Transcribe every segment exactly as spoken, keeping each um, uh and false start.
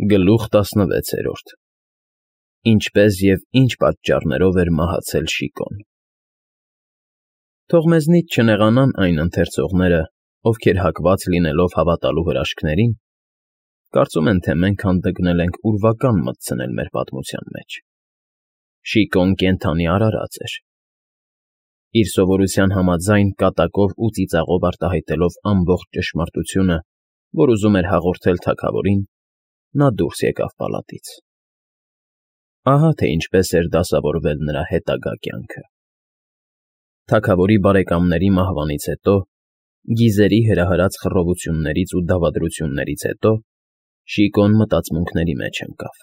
Գլուխ տասնվեցերորդ Ինչպես և ինչ պատճառներով էր մահացել Շիկոն։ Թող մեզնից չնեղանան այն ընթերցողները, ովքեր հակված լինելով հավատալու հրաշքներին, կարծում են, թե մենք հանդգնել ենք ուրվական մտցնել մեր պատմության մեջ. Շիկոն կենդանի արարած էր։ Իր սովորության համաձայն կատակով ու ծիծաղով արտահայտելով ամբողջ ճշմարտությունը, որ ուզում էր հաղորդել թագավորին, նա դուրս եկավ պալատից։ Ահա թե ինչպես էր դասավորվել նրա հետագա կյանքը։ Թագավորի բարեկամների մահվանից հետո, գիզերի հրահրած խռովություններից ու դավադրություններից հետո Շիկոն մտածմունքների մեջ ընկավ։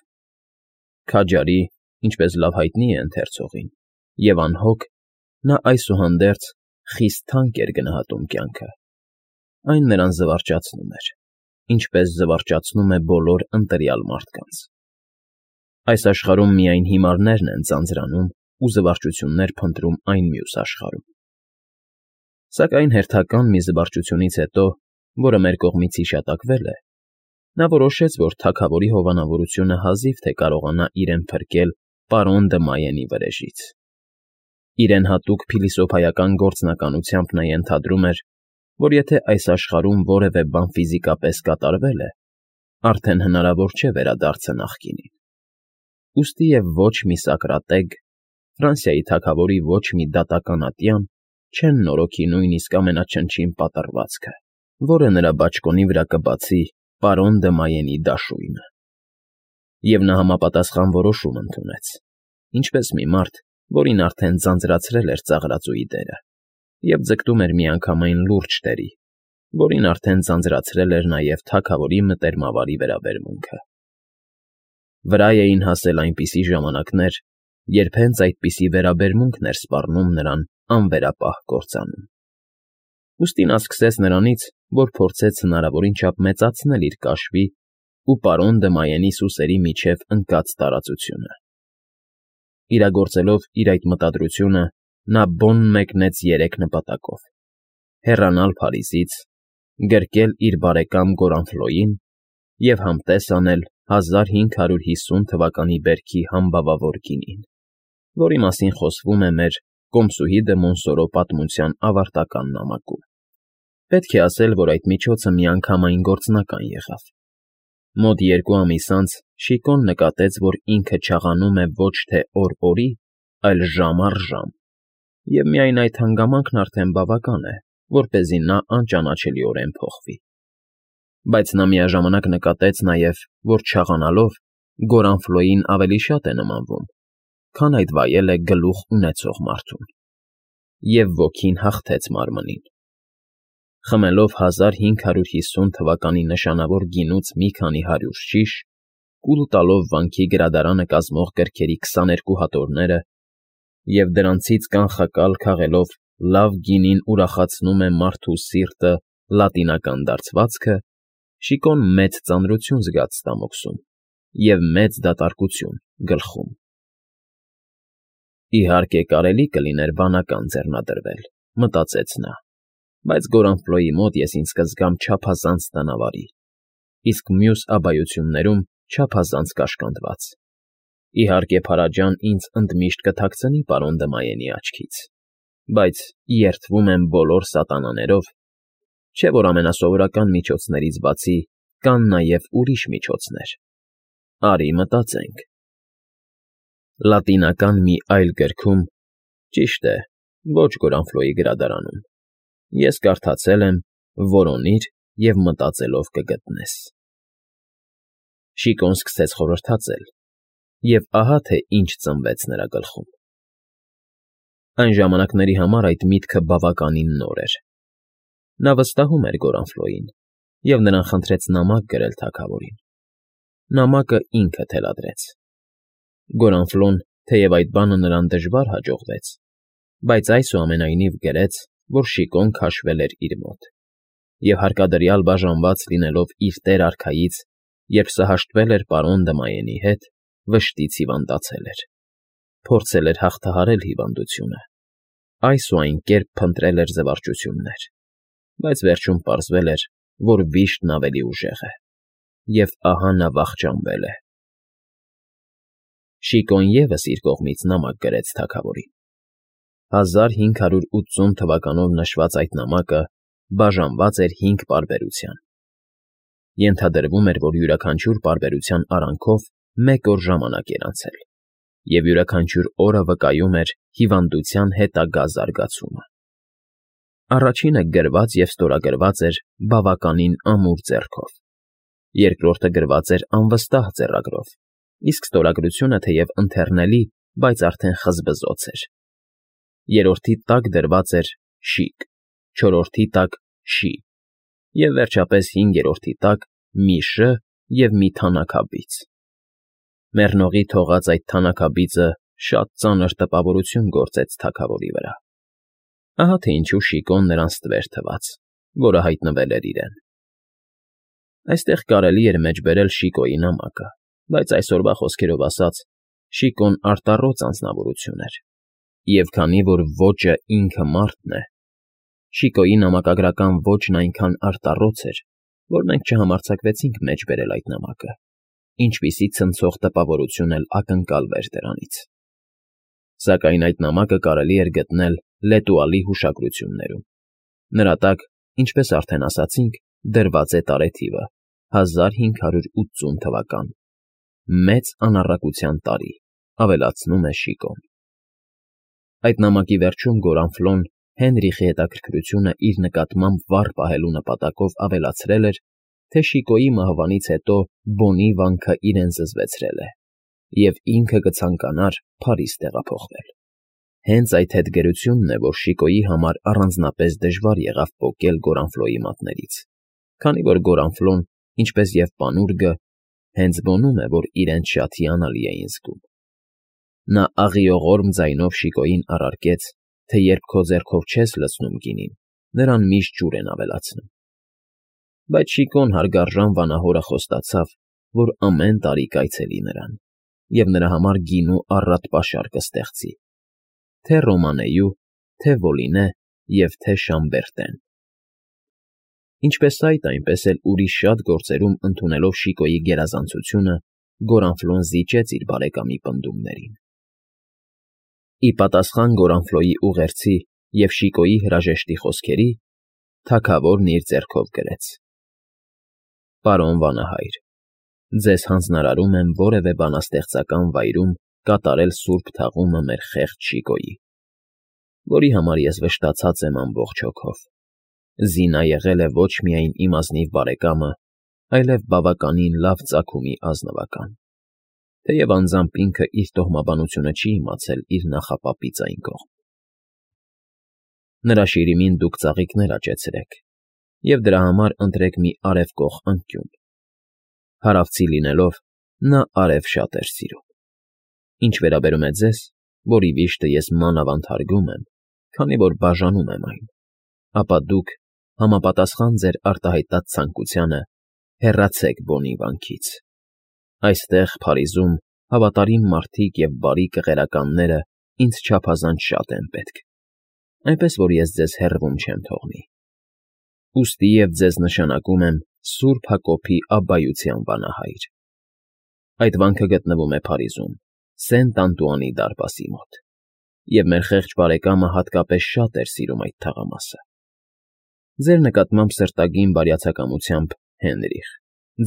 Քաջարի, ինչպես լավ հայտնի է ընթերցողին, և անհոգ, նա այսուհանդերձ խիստ թանկ էր գնահատում կյանքը։ Այն նրան զվարճացնում էր, ինչպես զվարճացնում է բոլոր ընտրյալ մարդկանց։ Այս աշխարհում միայն հիմարներն են ձանձրանում ու զվարճություններ փնտրում այն մյուս աշխարհում։ Սակայն հերթական մի զվարճությունից հետո, որը մեր կողմից հիշատակվել է, նա որոշեց, որ թագավորի հովանավորությունը հազիվ թե կարողանա իրեն փրկել պարոն Դմայենի վրեժից։ Իրեն հատուկ փիլիսոփայական գործնականությամբ նա ենթադրում էր, որ եթե այս աշխարհում որևէ բան ֆիզիկապես կատարվել է, արդեն հնարավոր չէ վերադարձը նախկինին։ Ուստի և ոչ մի Սոկրատեկ, Ֆրանսիայի թագավորի ոչ մի դատական ատյան չեն նորոգի նույնիսկ ամենաչնչին պատռվածքը, որը նրա բաճկոնի վրա կբացի պարոն Դմայենի դաշույնը։ Եվ նա համապատասխան որոշում ընդունեց, ինչպես մի մարդ, որին արդեն ձանձրացրել էր ծաղրածուի դերը, և ձգտում էր միանգամայն լուրջ տերի, որին արդեն ձանձրացրել էր նաև թագավորի մտերմավարի վերաբերմունքը։ Վրա էին հասել այնպիսի ժամանակներ, երբ հենց այդպիսի վերաբերմունքն էր սպառնում նրան անվերապահ կործանում։ Ուստի նա սկսեց նրանից, որ փորձեց հնարավորին չափ մեծացնել իր կաշվի ու պարոն Դմայենի սուսերի միջև ընկած տարածությունը։ Իրագործելով իր այդ մտադրությունը, նա բուն մեկնեց երեք նպատակով. հեռանալ Փարիզից, գրկել իր բարեկամ Գորանֆլոյին և համտես անել հազար հինգ հարյուր հիսուն թվականի բերքի համբավավոր գինին, որի մասին խոսվում է մեր «Կոմսուհի դը Մոնսորո» պատմության ավարտական նամակում։ Պետք է ասել, որ այդ միջոցը միանգամայն գործնական եղավ։ Մոտ երկու ամիս անց Շիկոն նկատեց, որ ինքը չաղանում է ոչ թե օր օրի, այլ ժամ առ ժամ, և միայն այդ հանգամանքն արդեն բավական է, որպեսզի նա անճանաչելիորեն փոխվի։ Բայց նա միաժամանակ նկատեց նաև, որ չաղանալով Գորանֆլոյին ավելի շատ է նմանվում, քան այդ վայել է գլուխ ունեցող մարդուն, և ոգին հաղթեց մարմնին։ Խմելով հազար հինգ հարյուր հիսուն թվականի նշանավոր գինուց մի քանի հարյուր շիշ, կուլ տալով վանքի գրադարանը կազմող գրքերի քսաներկու հատորները և դրանցից կանխակալ քաղելով «Լավ գինին ուրախացնում է մարդու սիրտը» լատինական դարձվածքը, Շիկոն մեծ ծանրություն զգաց ստամոքսում և մեծ դատարկություն գլխում։ «Իհարկե, կարելի կլիներ վանական ձեռնադրվել», մտածեց նա, «բայց Գորանֆլոյի մոտ ես ինձ կզգամ չափազանց տնավարի, իսկ մյուս աբայություններում չափազանց կաշկանդված։ Իհարկե, Փարաջան ինձ ընդմիշտ կթաքցնի պարոն Դմայենի աչքից, բայց երդվում եմ բոլոր սատանաներով, չէ՞ որ ամենասովորական միջոցներից բացի կան նաև ուրիշ միջոցներ։ Արի մտածենք»։ Լատինական մի այլ գրքում, ճիշտ է, ոչ Գորանֆլոյի գրադարանում, ես կարդացել եմ. «Որոնիր և մտածելով կգտնես»։ Շիկոն սկսեց խորհրդածել, և ահա թե ինչ ծնվեց նրա գլխում։ Այն ժամանակների համար այդ միտքը բավականին նոր էր։ Նա վստահում էր Գորանֆլոյին և նրան խնդրեց նամակ գրել թագավորին։ Նամակը ինքը թելադրեց։ Գորանֆլոն, թեև այդ բանը նրան դժվար հաջողվեց, բայց այսուամենայնիվ գրեց, որ Շիկոն քաշվել էր իր մոտ, և հարկադրյալ բաժանված լինելով իր տեր֊արքայից, երբ սհաշտվել էր պարոն Դմայենի հետ, վշտից հիվանդացել էր, փորձել էր հաղթահարել հիվանդությունը, այս ու այն կերպ փնտրել էր զվարճություններ, բայց վերջում պարզվել էր, որ վիշտն ավելի ուժեղ է։ և ահա նա վախճանվել է։ Շիկոն ևս իր կողմից նամակ գրեց թագավորին։ Հազար հինգ հարյուր ութսուն թվականով նշված այդ նամակը բաժանված էր հինգ պարբերության. ենթադրվում էր, որ յուրաքանչյուր պարբերության արանքով մեկ օր ժամանակ էր անցել, և յուրաքանչյուր օրը վկայում էր հիվանդության հետագա զարգացումը։ Առաջինը գրված և ստորագրված էր բավականին ամուր ձեռքով, երկրորդը գրված էր անվստահ ձեռագրով, իսկ ստորագրությունը թեև ընթեռնելի, բայց արդեն խզբզոց էր, երրորդի տակ դրված էր շիկ, չորրորդի տակ շի, և վերջապես հինգերորդի տակ մի շ և մի թանաքաբիծ։ Մեռնողի թողած այդ թանաքաբիծը շատ ծանր տպավորություն գործեց թագավորի վրա։ Ահա թե ինչու Շիկոն նրան ստվեր թվաց, որը հայտնվել էր իրեն։ Այստեղ կարելի էր մեջբերել Շիկոյի նամակը, բայց այսօրվա խոսքերով ասած, Շիկոն արտառոց անձնավորություն էր, և քանի որ ոճը ինքը մարդն է, Շիկոյի նամակագրական ոճն այնքան արտառոց էր, որ մենք չհամարձակվեցինք մեջբերել այդ նամակը, ինչպիսի ցնցող տպավորություն էլ ակնկալվեր դրանից։ Սակայն այդ նամակը կարելի էր գտնել Լետուալի հուշագրություններում։ Նրա տակ, ինչպես արդեն ասացինք, դրված է տարեթիվը՝ հազար հինգ հարյուր ութսուն թվական։ Մեծ անառակության տարի, ավելացնում է Շիկոն։ Այդ նամակի վերջում Գորանֆլոն Հենրիխի հետաքրքրությունը իր նկատմամբ վառ պահելու նպատակով ավելացրել էր, թե Շիկոյի մահվանից հետո Բոնի վանքը իրեն զզվեցրել է, և ինքը կցանկանար Փարիզ տեղափոխվել։ Հենց այդ հետգրությունն է, որ Շիկոյի համար առանձնապես դժվար եղավ պոկել Գորանֆլոյի մատներից, քանի որ Գորանֆլոն, ինչպես և Պանուրգը, հենց Բոնում է, որ իրենց շատ հիանալի էին զգում։ Նա աղիողորմ ձայնով Շիկոյին առարկեց, թե երբ քո ձեռքով չես լցնում գինին, նրան միշտ ջուր են ավելացնում։ Բայց Շիկոն հարգարժան վանահորը խոստացավ, որ ամեն տարի կայցելի նրան, և նրա համար գինու առատ պաշար կստեղծի, թե Ռոմանեյու, թե Վոլինե և թե Շամբերտեն։ Ինչպես այդ, այնպես էլ ուրիշ շատ գործերում ընդունելով Շիկոյի գերազանցությունը, Գորանֆլոն զիջեց իր բարեկամի պնդումներին։ Ի պատասխան Գորանֆլոյի ուղերձի և Շիկոյի հրաժեշտի խոսքերի, թագավորն իր ձեռքով գրեց. «Պարոն վանահայր, ձեզ հանձնարարում եմ որևէ բանաստեղծական վայրում կատարել սուրբ թաղումը մեր խեղճ Շիկոյի, որի համար ես վշտացած եմ ամբողջ հոգով։ Զինա եղել է ոչ միայն իմ ազնիվ բարեկամը, այլև բավականին լավ ծագումի ազնվական, թեև անձամբ ինքը իր տոհմաբանությունը չի իմացել իր նախապապի ձայն կողմ։ Նրա շիրիմին դուք ծաղիկներ աճեցրեք, և դրա համար ընտրեք մի արևկող անկյուն։ Հարավցի լինելով, նա արև շատ էր սիրում։ Ինչ վերաբերում է ձեզ, որի վիշտը ես մանավանդ հարգում եմ, քանի որ բաժանում եմ այն, ապա դուք, համապատասխան ձեր արտահայտած ցանկությանը, հեռացեք Բոնի վանքից։ Այստեղ, Փարիզում, հավատարիմ մարդիկ և բարի կղերականները ինձ չափազանց շատ են պետք, այնպես որ ես ձեզ հեռվում չեմ թողնի։ Ուստի և ձեզ նշանակում եմ Սուրբ Հակոբի Աբբայության վանահայր։ Այդ վանքը գտնվում է Փարիզում, Սենտ Անտուանի դարպասի մոտ, և մեր խեղճ բարեկամը հատկապես շատ էր սիրում այդ թաղամասը։ Ձեր նկատմամբ սրտագին բարյացակամությամբ, Հենրիխ,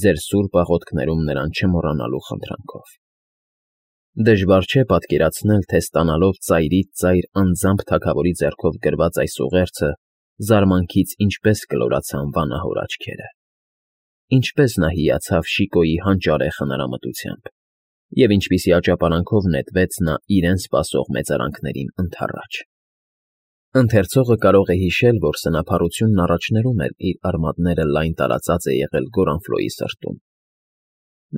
ձեր սուրբ աղոթքներում նրան չմոռանալու խնդրանքով։ Դժվար չէ պատկերացնել, թե ստանալով ծայրից ծայր անձամբ թագավորի ձեռքով գրված այս ուղերձը, զարմանքից ինչպես կլորացան վանահոր աչքերը, ինչպես նա հիացավ Շիկոյի հանճարեղ հնարամտությամբ, և ինչպիսի աճապարանքով նետվեց նա իրեն սպասող մեծարանքներին ընդառաջ։ Ընթերցողը կարող է հիշել, որ սնափառությունն առաջներում էլ իր արմատները լայն տարածած է եղել Գորանֆլոյի սրտում։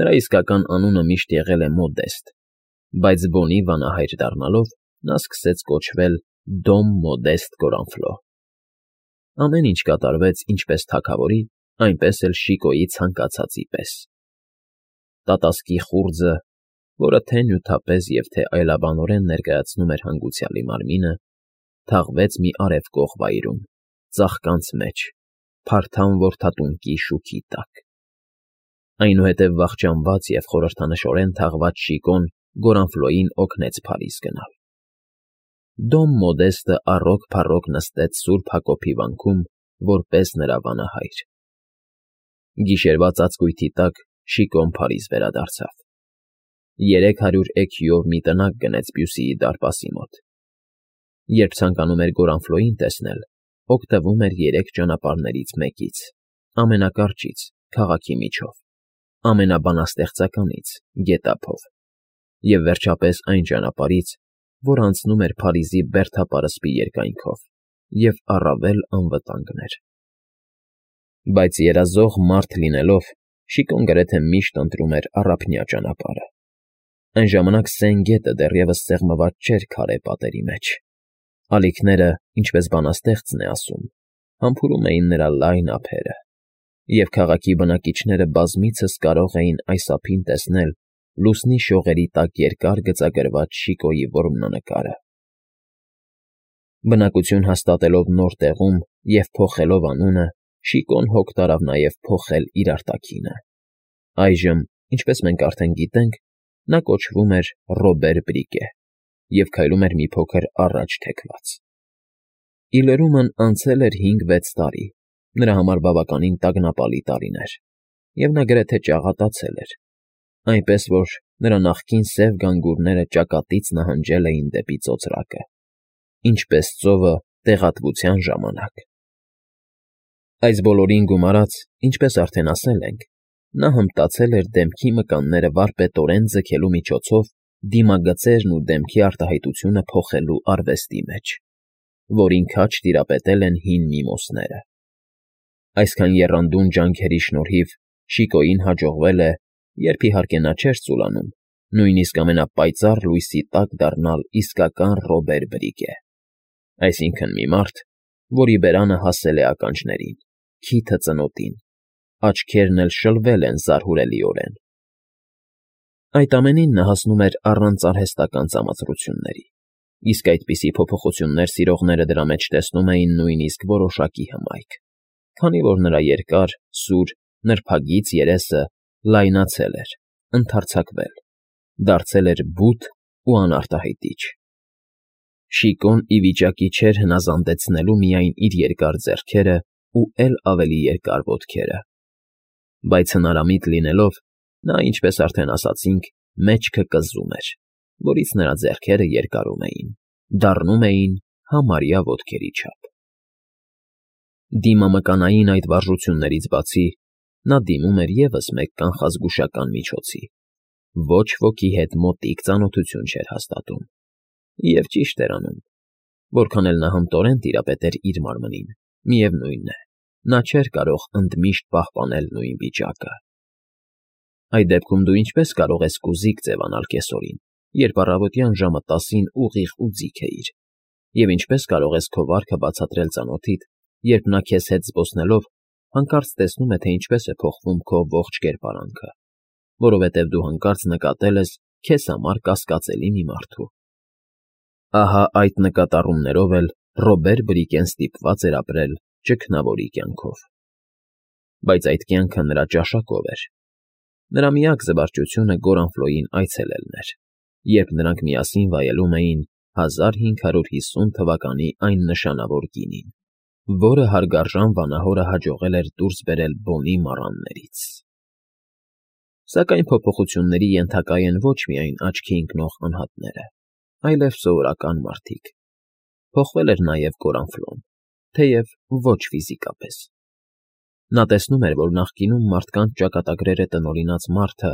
Նրա իսկական անունը միշտ եղել է Մոդեստ, բայց Բոնի վանահայր դառնալով, նա սկսեց կոչվել Դոմ Մոդեստ Գորանֆլո։ Ամեն ինչ կատարվեց ինչպես թագավորի, այնպես էլ Շիկոյի ցանկացածի պես։ Տատասկի խուრძը, որը թե՛ նյութապես և թե այլաբանորեն ներկայացնում էր հանգուցյալի մարմինը, թաղվեց մի արևկող վայրում, ծաղկանց մեջ, փարթամ որդատունկի շուքի տակ։ Այնուհետև վախճանված և խորհրդանշորեն թաղված Շիկոն Գորանֆլոյին օգնեց Փարիզ գնալ։ Դոմ Մոդեստը առոգ-փառոգ նստեց Սուրբ Հակոբի վանքում, որպես նրա վանահայր։ Գիշերվա ծածկույթի տակ Շիկոն Փարիզ վերադարձավ։ Երեք հարյուր էքյուով մի տնակ գնեց Բյուսիի դարպասի մոտ։ Երբ ցանկանում էր Գորանֆլոյին տեսնել, օգտվում էր երեք ճանապարհներից մեկից, ամենակարճից՝ քաղաքի միջով, ամենաբանաստեղծականից՝ գետափով, և վերջապես այն ճանապարհից, որ անցնում էր Փարիզի բերդապարսպի երկայնքով և առավել անվտանգն էր։ Բայց երազող մարդ լինելով՝ Շիկոն գրեթե միշտ ընտրում էր առափնյա ճանապարհը։ Այն ժամանակ Սեն գետը դեռևս սեղմված չէր քարե պատերի մեջ։ Ալիքները, ինչպես բանաստեղծն է ասում, համբուրում էին նրա լայն ափերը, և քաղաքի բնակիչները բազմիցս կարող էին այս ափին տեսնել լուսնի շողերի տակ երկար գծագրված Շիկոյի որմնանկարը։ Բնակություն հաստատելով նոր տեղում և փոխելով անունը, Շիկոն հոգ տարավ նաև փոխել իր արտաքինը։ Այժմ, ինչպես մենք արդեն գիտենք, նա կոչվում էր Ռոբեր Բրիկե և քայլում էր մի փոքր առաջ թեքված։ Ի լրումն անցել էր հինգ֊վեց տարի, նրա համար բավականին տագնապալի տարիներ, և նա գրեթե ճաղատացել էր, այնպես որ նրա նախկին սև գանգուրները ճակատից նահանջել էին դեպի ծոծրակը, ինչպես ծովը տեղատվության ժամանակ։ Այս բոլորին գումարած, ինչպես արդեն ասել ենք, նա հմտացել էր դեմքի մկանները վարպետորեն ձգելու միջոցով դիմագծերն ու դեմքի արտահայտությունը փոխելու արվեստի մեջ, որին քաջ տիրապետել են հին միմոսները։ Այսքան եռանդուն ջանքերի շնորհիվ Շիկոյին հաջողվել է, երբ իհարկե նա չէր ծուլանում, նույնիսկ ամենապայծառ լույսի տակ դառնալ իսկական Ռոբեր Բրիկե, այսինքն՝ մի մարդ, որի բերանը հասել է ականջներին, քիթը ծնոտին, աչքերն էլ շլվել են զարհուրելիորեն։ Այդ ամենին նա հասնում էր առանց արհեստական ծամացրությունների, իսկ այդպիսի փոփոխություններ սիրողները դրա մեջ տեսնում էին նույնիսկ որոշակի հմայք, քանի որ նրա երկար, սուր, նրբագիծ երեսը լայնացել էր, ընդարձակվել, դարձել էր բութ ու անարտահայտիչ։ Շիկոն ի վիճակի չէր հնազանդեցնելու միայն իր երկար ձեռքերը ու էլ ավելի երկար ոտքերը, բայց հնարամիտ լինելով, նա, ինչպես արդեն ասացինք, մեջքը կզում էր, որից նրա ձեռքերը երկարում էին, դառնում էին համարյա ոտքերի չափ։ Դիմամկանային այդ վարժություններից բացի, նա դիմում էր ևս մեկ կանխազգուշական միջոցի. ոչ ոքի հետ մոտիկ ծանոթություն չէր հաստատում, և ճիշտ էր անում, որքան էլ նա հմտորեն տիրապետեր իր մարմնին, միևնույն է, նա չէր կարող ընդմիշտ պահպանել նույն վիճակը։ Այդ դեպքում դու ինչպես կարող ես կուզիկ ձևանալ կեսօրին, երբ առավոտյան ժամը տասին ուղիղ ու ձիգ էիր, և ինչպես կարող ես քո վարքը բացատրել ծանոթիդ, երբ նա քեզ հետ զբոսնելով հանկարծ տեսնում է, թե ինչպես է փոխվում քո ողջ կերպարանքը, որովհետև դու հանկարծ նկատել ես քեզ համար կասկածելի մի մարդու։ Ահա այդ նկատառումներով էլ Ռոբեր Բրիկեն ստիպված էր ապրել ճգնավորի կյանքով։ Բայց այդ կյանքը նրա ճաշակով էր։ Նրա միակ զվարճությունը Գորանֆլոյին այցելելն էր, երբ նրանք միասին վայելում էին հազար հինգ հարյուր հիսուն թվականի այն նշանավոր գինին, որը հարգարժան վանահորը հաջողել էր դուրս բերել բոնի մառաններից։ Սակայն փոփոխությունների ենթակա են ոչ միայն աչքի ընկնող անհատները, այլև սովորական մարդիկ։ Փոխվել էր նաև Գորանֆլոն, թեև ոչ ֆիզիկապես։ Նա տեսնում էր, որ նախկինում մարդկանց ճակատագրերը տնօրինած մարդը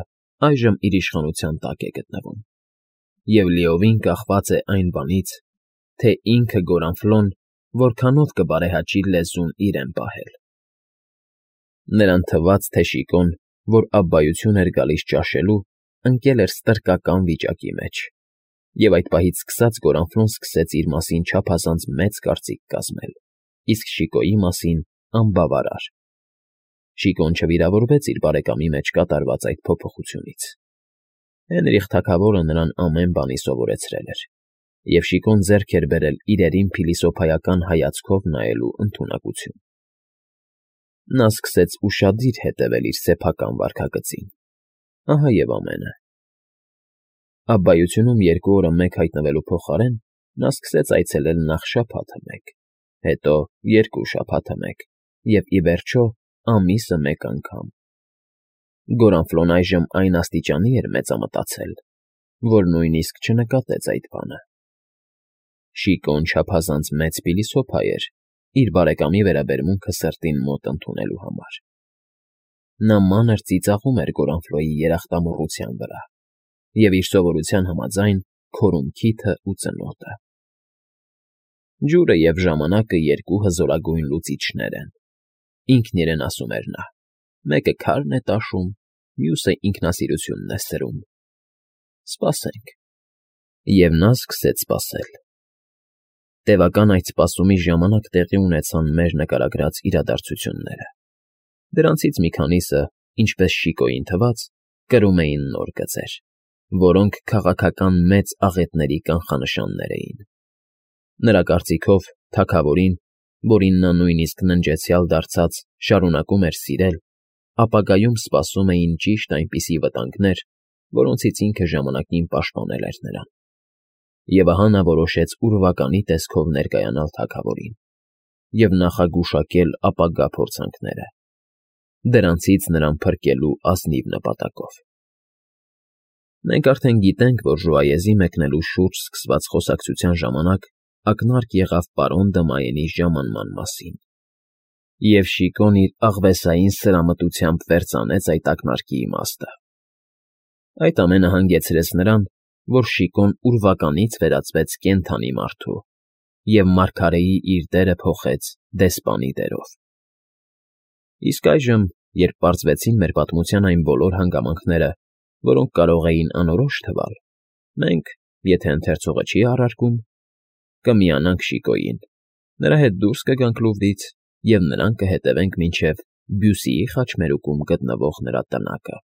այժմ իր իշխանության տակ է գտնվում, և լիովին կախված է այն բանից, թե ինքը Գորանֆլոն որքանով կբարեհաճի լեզուն իրեն պահել։ Նրան թվաց, թե Շիկոն, որ աբբայություն էր գալիս ճաշելու, ընկել էր ստրկական վիճակի մեջ, և այդ պահից սկսած Գորանֆլոն սկսեց իր մասին չափազանց մեծ կարծիք կազմել, իսկ Շիկոյի մասին՝ անբավարար։ Շիկոն չվիրավորվեց իր բարեկամի մեջ կատարված այդ փոփոխությունից։ Հենրիխ թագավորը նրան ամեն բանի սովորեցրել էր, և Շիկոն ձեռք էր բերել իրերին փիլիսոփայական հայացքով նայելու ընդունակություն։ Նա սկսեց ուշադիր հետևել իր սեփական վարքագծին, ահա և ամենը։ Աբբայությունում երկու օրը մեկ հայտնվելու փոխարեն նա սկսեց այցելել նախ շաբաթը մեկ, հետո երկու շաբաթը մեկ և, ի վերջո, ամիսը մեկ անգամ։ Գորանֆլոն այժմ այն աստիճանի էր մեծամտածել, որ նույնիսկ չնկատեց այդ բանը։ Շիկոն չափազանց մեծ փիլիսոփա էր իր բարեկամի վերաբերմունքը սրտին մոտ ընդունելու համար։ Նա մանր ծիծաղում էր Գորանֆլոյի երախտամոռության վրա և, իր սովորության համաձայն, քորում քիթը ու ծնոտը։ Ջուրը և ժամանակը երկու հզորագույն լուծիչներ են, ինքն իրեն ասում էր նա, մեկը քարն է տաշում, մյուսը ինքնասիրությունն է սրում։ Սպասենք։ Եվ նա սկսեց սպասել։ Տևական այդ սպասումի ժամանակ տեղի ունեցան մեր նկարագրած իրադարձությունները։ Դրանցից մի քանիսը, ինչպես Շիկոյին թվաց, կրում էին նոր գծեր, որոնք քաղաքական մեծ աղետների կանխանշաններ էին։ Նրա կարծիքով թագավորին, որին նա նույնիսկ ննջեցյալ դարձած շարունակում էր սիրել, ապագայում սպասում էին ճիշտ այնպիսի վտանգներ, որոնցից ինքը ժամանակին պաշտպանել էր նրան։ Եվ ահա նա որոշեց ուրվականի տեսքով ներկայանալ թագավորին և նախագուշակել ապագա փորձանքները, դրանցից նրան փրկելու ազնիվ նպատակով։ Մենք արդեն գիտենք, որ ժուայեզի մեկնելու շուրջ սկսված խոսակցության ժամանակ ակնարկ եղավ պարոն Դմայենի ժամանման մասին, և Շիկոն իր աղվեսային սրամտությամբ վերծանեց այդ ակնարկի իմաստը։ Այդ ամենը հանգեցրեց նրան, որ Շիկոն ուրվականից վերածվեց կենդանի մարդու և մարգարեի իր դերը փոխեց դեսպանի դերով։ Իսկ այժմ, երբ պարզվեցին մեր պատմության այն բոլոր հանգամանքները, որոնք կարող էին անորոշ թվալ, մենք, եթե ընթերցողը չի առարկում, կմիանանք Շիկոյին, նրա հետ դուրս կգանք Լուվրից և նրան կհետևենք մինչև Բյուսիի խաչմերուկում գտնվող նրա տնակը։